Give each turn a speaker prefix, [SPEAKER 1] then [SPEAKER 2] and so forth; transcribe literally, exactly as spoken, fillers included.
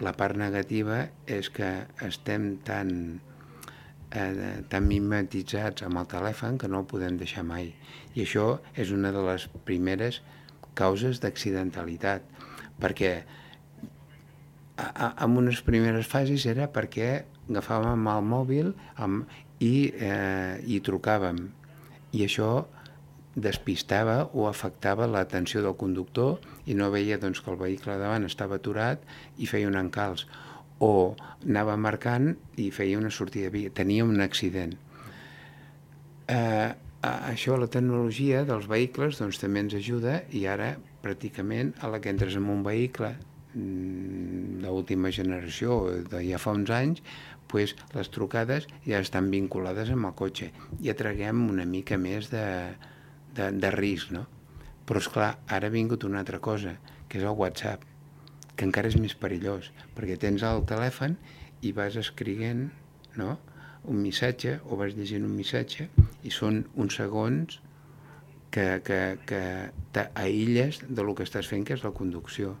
[SPEAKER 1] La part negativa és que estem tan, eh, tan mimetitzats amb el telèfon que no el podem deixar mai. I això és una de les primeres causes d'accidentalitat, perquè a, a, en unes primeres fases era perquè agafàvem el mòbil amb, i, eh, i trucàvem, i això despistava o afectava l'atenció del conductor i no veia doncs, que el vehicle davant estava aturat i feia un encalç, o anava marcant i feia una sortida de via, tenia un accident. Eh, això, la tecnologia dels vehicles doncs, també ens ajuda, i ara pràcticament a la que entres en un vehicle d'última generació de ja fa uns anys, pues, les trucades ja estan vinculades amb el cotxe i atraguem una mica més de, de, de risc, no? Però és clar, ara ha vingut una altra cosa, que és el WhatsApp, que encara és més perillós, perquè tens el telèfon i vas escrivint, no?, un missatge, o vas llegint un missatge, i són uns segons que, que, que t'aïlles de lo que estàs fent, que és la conducció.